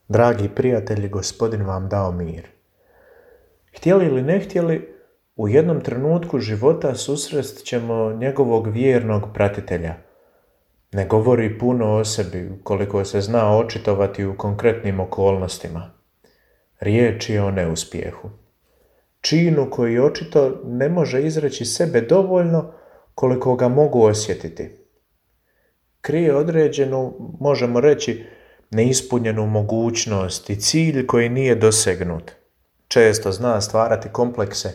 Dragi prijatelji, Gospodin vam dao mir. Htjeli ili ne htjeli, u jednom trenutku života susrest ćemo njegovog vjernog pratitelja. Ne govori puno o sebi koliko se zna očitovati u konkretnim okolnostima. Riječ je o neuspjehu. Činu koji očito ne može izreći sebe dovoljno koliko ga mogu osjetiti. Krije određenu, možemo reći, neispunjenu mogućnost i cilj koji nije dosegnut. Često zna stvarati komplekse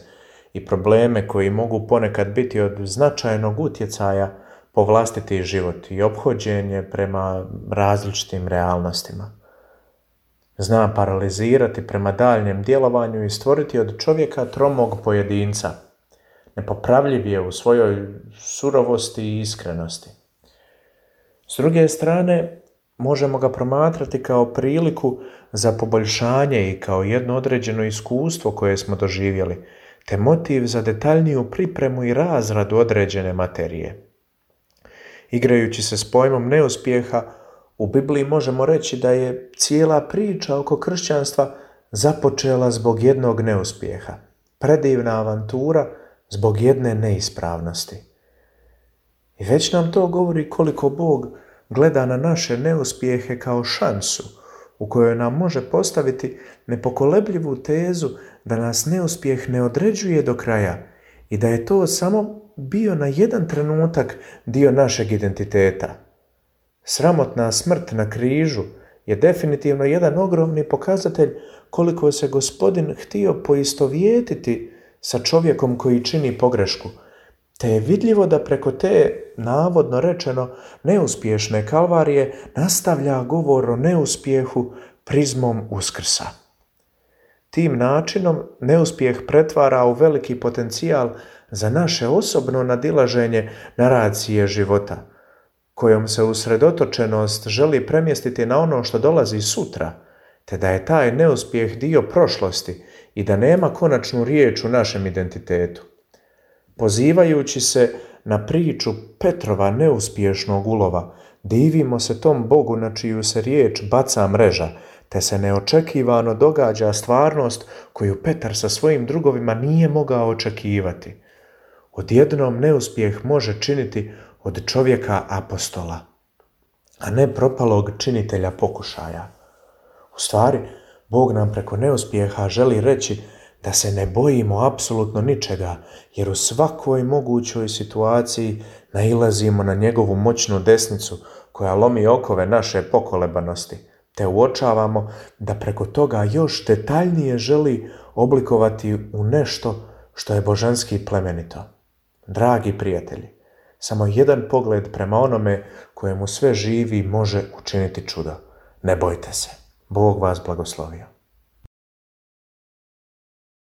i probleme koji mogu ponekad biti od značajnog utjecaja po vlastiti život i ophođenje prema različitim realnostima. Zna paralizirati prema daljnjem djelovanju i stvoriti od čovjeka tromog pojedinca. Nepopravljiv je u svojoj surovosti i iskrenosti. S druge strane, možemo ga promatrati kao priliku za poboljšanje i kao jedno određeno iskustvo koje smo doživjeli, te motiv za detaljniju pripremu i razradu određene materije. Igrajući se s pojmom neuspjeha, u Bibliji možemo reći da je cijela priča oko kršćanstva započela zbog jednog neuspjeha, predivna avantura zbog jedne neispravnosti. I već nam to govori koliko Bog gleda na naše neuspjehe kao šansu u kojoj nam može postaviti nepokolebljivu tezu da nas neuspjeh ne određuje do kraja i da je to samo bio na jedan trenutak dio našeg identiteta. Sramotna smrt na križu je definitivno jedan ogromni pokazatelj koliko se Gospodin htio poistovjetiti sa čovjekom koji čini pogrešku, te je vidljivo da preko te, navodno rečeno, neuspješne kalvarije nastavlja govor o neuspjehu prizmom Uskrsa. Tim načinom neuspjeh pretvara u veliki potencijal za naše osobno nadilaženje naracije života, kojom se usredotočenost želi premjestiti na ono što dolazi sutra, te da je taj neuspjeh dio prošlosti i da nema konačnu riječ u našem identitetu. Pozivajući se na priču Petrova neuspješnog ulova, divimo se tom Bogu na čiju se riječ baca mreža, te se neočekivano događa stvarnost koju Petar sa svojim drugovima nije mogao očekivati. Odjednom neuspjeh može činiti od čovjeka apostola, a ne propalog činitelja pokušaja. U stvari, Bog nam preko neuspjeha želi reći da se ne bojimo apsolutno ničega, jer u svakoj mogućoj situaciji nailazimo na njegovu moćnu desnicu koja lomi okove naše pokolebanosti, te uočavamo da preko toga još detaljnije želi oblikovati u nešto što je božanski plemenito. Dragi prijatelji, samo jedan pogled prema onome kojemu sve živi može učiniti čudo. Ne bojte se. Bog vas blagoslovio.